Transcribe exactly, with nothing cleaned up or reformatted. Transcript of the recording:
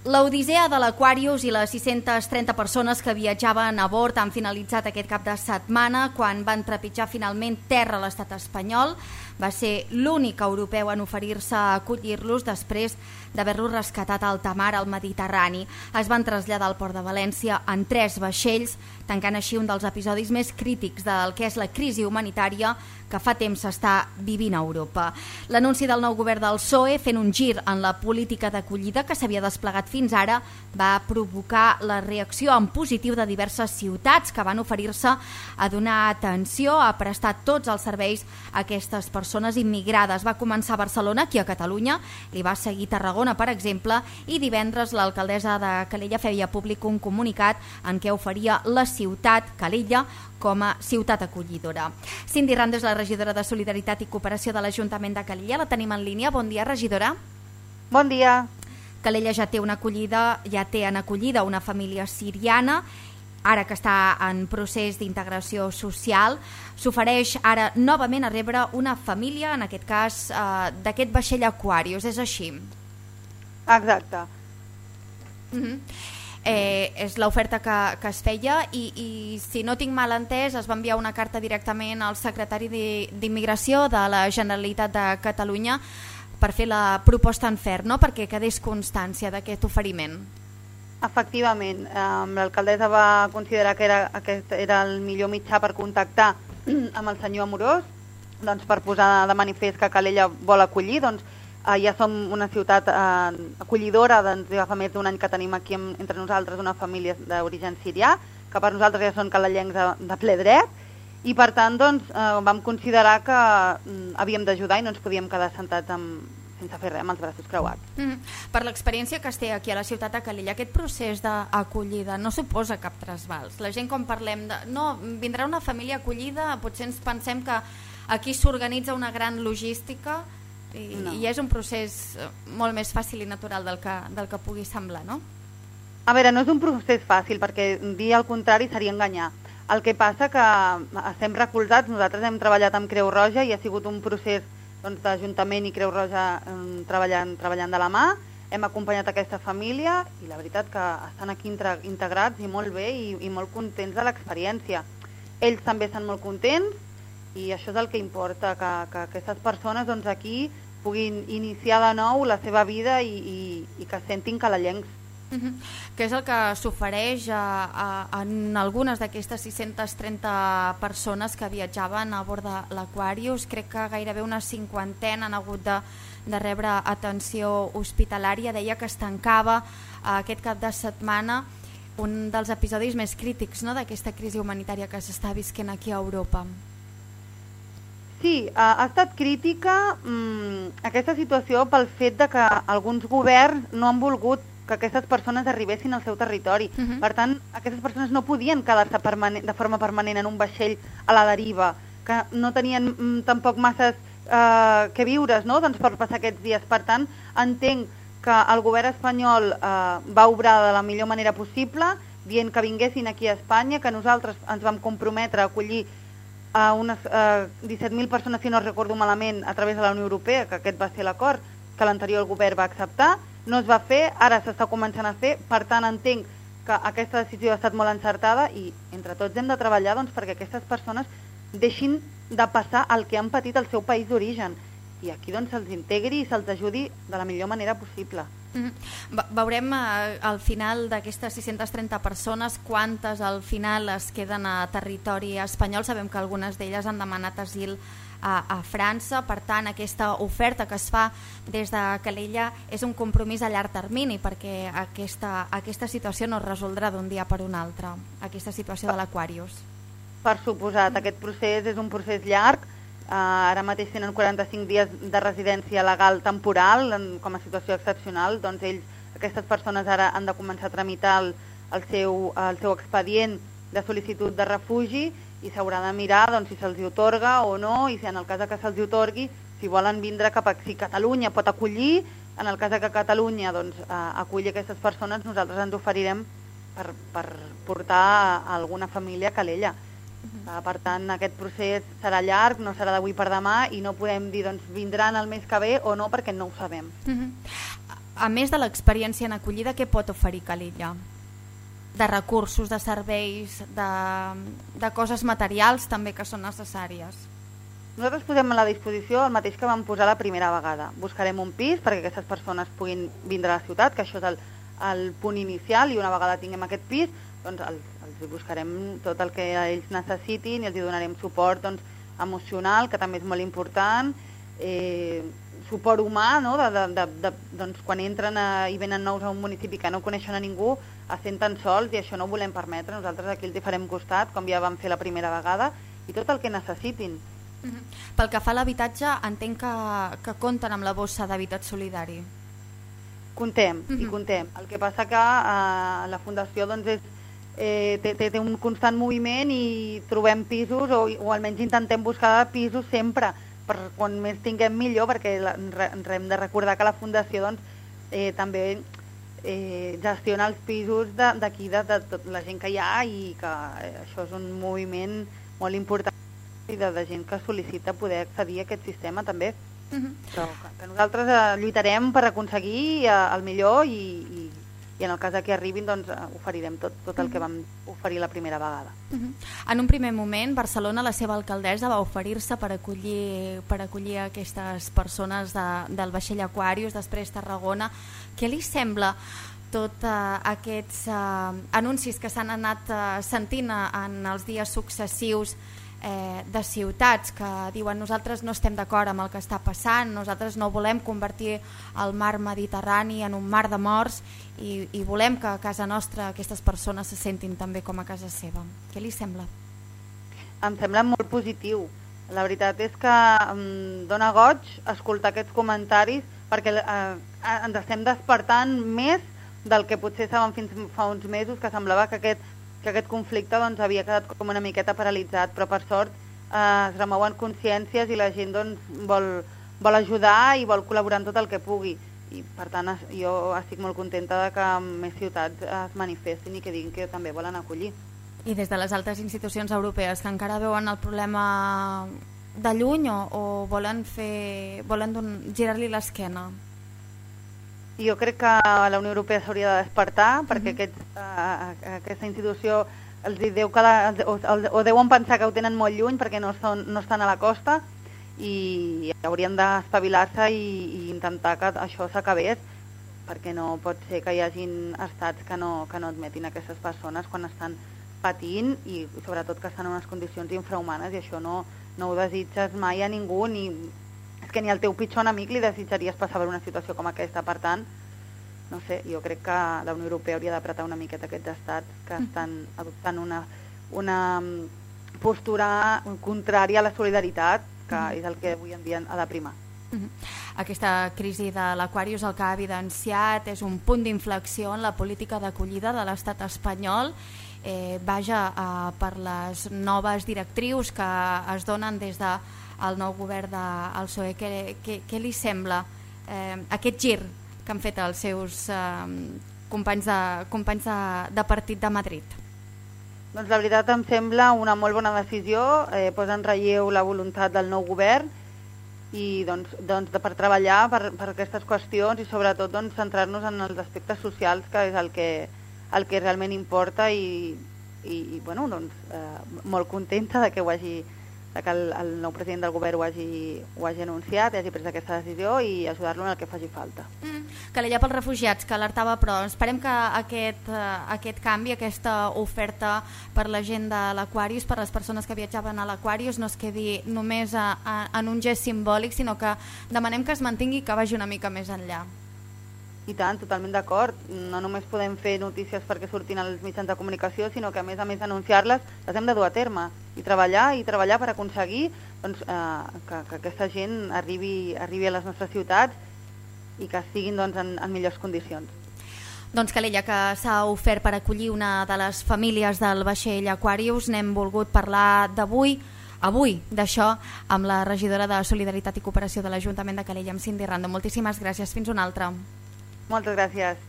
L'Odissea de l'Aquarius i les sis-centes trenta persones que viatjaven a bord han finalitzat aquest cap de setmana quan van trepitjar finalment terra a l'estat espanyol. Va ser l'únic europeu en oferir-se a acollir-los després d'haver-los rescatat a alta mar al Mediterrani. Es van traslladar al port de València en tres vaixells, tancant així un dels episodis més crítics del que és la crisi humanitària que fa temps s'està vivint a Europa. L'anunci del nou govern del P S O E, fent un gir en la política d'acollida que s'havia desplegat fins ara, va provocar la reacció en positiu de diverses ciutats que van oferir-se a donar atenció, a prestar tots els serveis a aquestes persones immigrades. Va començar a Barcelona, aquí a Catalunya, li va seguir Tarragona, per exemple, i divendres l'alcaldessa de Calella feia públic un comunicat en què oferia la ciutat, Calella, com a ciutat acollidora. Cindy Rando és la regidora de Solidaritat i Cooperació de l'Ajuntament de Calella. La tenim en línia. Bon dia, regidora. Bon dia. Calella ja té una acollida, ja té en acollida una família siriana, ara que està en procés d'integració social. S'ofereix ara novament a rebre una família, en aquest cas eh, d'aquest vaixell Aquarius, és així? Exacte. Uh-huh. Eh, és l'oferta que, que es feia i, i si no tinc mal entès es va enviar una carta directament al secretari d'Immigració de la Generalitat de Catalunya per fer la proposta en ferm, no? Perquè quedés constància d'aquest oferiment. Efectivament, eh, l'alcaldessa va considerar que era, aquest era el millor mitjà per contactar amb el senyor Amorós, doncs per posar de manifest que Calella vol acollir. Doncs eh, ja som una ciutat eh, acollidora, doncs ja fa més d'un any que tenim aquí entre nosaltres una família d'origen sirià, que per nosaltres ja són calellencs de, de ple dret, i per tant doncs, eh, vam considerar que mm, havíem d'ajudar i no ens podíem quedar sentats amb, sense fer res, amb els braços creuats. Mm. Per l'experiència que es té aquí a la ciutat de Calella, aquest procés d'acollida no suposa cap trasbals. La gent, quan parlem de no, vindrà una família acollida, potser ens pensem que aquí s'organitza una gran logística i, no. i és un procés molt més fàcil i natural del que, del que pugui semblar, no? A veure, no és un procés fàcil, perquè dir el contrari seria enganyar. El que passa que estem recolzats, nosaltres hem treballat amb Creu Roja i ha sigut un procés doncs, d'Ajuntament i Creu Roja eh, treballant, treballant de la mà. Hem acompanyat aquesta família i la veritat que estan aquí integrats i molt bé i, i molt contents de l'experiència. Ells també estan molt contents i això és el que importa, que, que aquestes persones doncs, aquí puguin iniciar de nou la seva vida i, i, i que sentin calellencs. Uh-huh. Què és el que s'ofereix a, a, en algunes d'aquestes sis-centes trenta persones que viatjaven a bord de l'Aquarius? Crec que gairebé una cinquantena han hagut de, de rebre atenció hospitalària. Deia que es tancava uh, aquest cap de setmana un dels episodis més crítics, no?, d'aquesta crisi humanitària que s'està visquent aquí a Europa. Sí, ha, ha estat crítica mmm, aquesta situació pel fet de que alguns governs no han volgut que aquestes persones arribessin al seu territori. Uh-huh. Per tant, aquestes persones no podien quedar-se de forma permanent en un vaixell a la deriva, que no tenien mm, tampoc masses eh, que viures, no?, doncs per passar aquests dies. Per tant, entenc que el govern espanyol eh, va obrar de la millor manera possible, dient que vinguessin aquí a Espanya, que nosaltres ens vam comprometre a acollir a unes eh, disset mil persones, si no recordo malament, a través de la Unió Europea, que aquest va ser l'acord que l'anterior govern va acceptar. No es va fer, ara s'està començant a fer, per tant entenc que aquesta decisió ha estat molt encertada i entre tots hem de treballar doncs, perquè aquestes persones deixin de passar el que han patit al seu país d'origen i aquí doncs se'ls integri i se'ls ajudi de la millor manera possible. Mm-hmm. Veurem eh, al final d'aquestes sis-centes trenta persones quantes al final es queden a territori espanyol. Sabem que algunes d'elles han demanat asil A, a França, per tant aquesta oferta que es fa des de Calella és un compromís a llarg termini perquè aquesta, aquesta situació no es resoldrà d'un dia per un altre, aquesta situació de l'Aquarius. Per suposat, aquest procés és un procés llarg, uh, ara mateix tenen quaranta-cinc dies de residència legal temporal en, com a situació excepcional, doncs ells, aquestes persones ara han de començar a tramitar el, el, seu, el seu expedient de sol·licitud de refugi i s'haurà de mirar doncs, si se'ls atorga o no, i si en el cas que se'ls atorgui, si volen vindre cap a... Si Catalunya pot acollir, en el cas que Catalunya doncs, aculli aquestes persones, nosaltres ens oferirem per, per portar a alguna família a Calella. Uh-huh. Per tant, aquest procés serà llarg, no serà d'avui per demà, i no podem dir doncs, vindran el mes que ve o no, perquè no ho sabem. Uh-huh. a més de l'experiència en acollida, què pot oferir Calella? De recursos, de serveis, de, de coses materials també que són necessàries. Nosaltres posem a la disposició el mateix que vam posar la primera vegada. Buscarem un pis perquè aquestes persones puguin vindre a la ciutat, que això és el, el punt inicial, i una vegada tinguem aquest pis, doncs els, els buscarem tot el que ells necessitin i els donarem suport doncs, emocional, que també és molt important, eh, suport humà, no? de, de, de, de, doncs, quan entren a, i venen nous a un municipi que no coneixen a ningú, es senten sols, i això no ho volem permetre. Nosaltres aquí els hi farem costat, com ja vam fer la primera vegada, i tot el que necessitin. Uh-huh. Pel que fa a l'habitatge, entenc que, que compten amb la bossa d'habitat solidari. Contem, uh-huh. i contem. El que passa que eh, la Fundació doncs, és, eh, té, té, té un constant moviment i trobem pisos, o, o almenys intentem buscar pisos sempre, per quan més tinguem millor, perquè la, ens hem de recordar que la Fundació doncs, eh, també eh, gestiona els pisos d'aquí, de, de, de tota la gent que hi ha, i que eh, això és un moviment molt important i de, de gent que sol·licita poder accedir a aquest sistema també. Uh-huh. Però que, que nosaltres eh, lluitarem per aconseguir eh, el millor, i, i, i en el cas que arribin doncs, oferirem tot, tot el que vam oferir la primera vegada. Uh-huh. En un primer moment, Barcelona, la seva alcaldessa, va oferir-se per acollir, per acollir aquestes persones de, del vaixell Aquarius, després Tarragona. Què li sembla tots uh, aquests uh, anuncis que s'han anat uh, sentint en els dies successius eh, de ciutats que diuen nosaltres no estem d'acord amb el que està passant, nosaltres no volem convertir el mar Mediterrani en un mar de morts, i, i volem que a casa nostra aquestes persones se sentin també com a casa seva. Què li sembla? Em sembla molt positiu. La veritat és que em dóna goig escoltar aquests comentaris, perquè eh, ens estem despertant més del que potser saben fins fa uns mesos, que semblava que aquest que aquest conflicte doncs, havia quedat com una miqueta paralitzat, però per sort eh, es remouen consciències i la gent doncs, vol, vol ajudar i vol col·laborar en tot el que pugui. I per tant jo estic molt contenta de que més ciutats es manifestin i que diguin que també volen acollir. I des de les altres institucions europees que encara veuen el problema de lluny o, o volen, fer, volen girar-li l'esquena? Jo crec que la Unió Europea s'hauria de despertar, perquè aquest, uh, aquesta institució els deu cada, o, o deuen pensar que ho tenen molt lluny perquè no, són, no estan a la costa, i haurien d'espavilar-se i, i intentar que això s'acabés, perquè no pot ser que hi hagin estats que no, que no admetin aquestes persones quan estan patint, i sobretot que estan en unes condicions infrahumanes, i això no, no ho desitges mai a ningú, ni... és que ni al teu pitjor enemic li desitjaries passar per una situació com aquesta. Per tant, no sé, jo crec que la Unió Europea hauria d'apretar una miqueta aquests estats que estan adoptant una, una postura contrària a la solidaritat, que és el que avui en dia ha de primar. Aquesta crisi de l'Aquarius el que ha evidenciat és un punt d'inflexió en la política d'acollida de l'estat espanyol, eh, vaja, eh, per les noves directrius que es donen des de el nou govern del P S O E. Què, què, què li sembla eh, aquest gir que han fet els seus eh, companys, de, companys de, de partit de Madrid? Doncs la veritat em sembla una molt bona decisió, eh, posa en relleu la voluntat del nou govern i doncs, doncs de, per treballar per, per aquestes qüestions i sobretot doncs, centrar-nos en els aspectes socials, que és el que, el que realment importa, i, i, i bueno, doncs, eh, molt contenta de que ho hagi de que el, el nou president del govern ho hagi, ho hagi anunciat, hagi pres aquesta decisió, i ajudar-lo en el que faci falta. Mm, Calella pels refugiats, que alertava, però esperem que aquest, uh, aquest canvi, aquesta oferta per la gent de l'Aquarius, per les persones que viatjaven a l'Aquarius, no es quedi només a, a, en un gest simbòlic, sinó que demanem que es mantingui i que vagi una mica més enllà. I tant, totalment d'acord. No només podem fer notícies perquè surtin als mitjans de comunicació, sinó que a més a més anunciar-les les hem de dur a terme i treballar i treballar per aconseguir doncs, eh, que, que aquesta gent arribi, arribi a les nostres ciutats i que estiguin doncs, en, en millors condicions. Doncs Calella, que s'ha ofert per acollir una de les famílies del vaixell Aquarius, n'hem volgut parlar d'avui, avui d'això, amb la regidora de Solidaritat i Cooperació de l'Ajuntament de Calella, amb Cindy Rando. Moltíssimes gràcies, fins una altra. Moltes gràcies.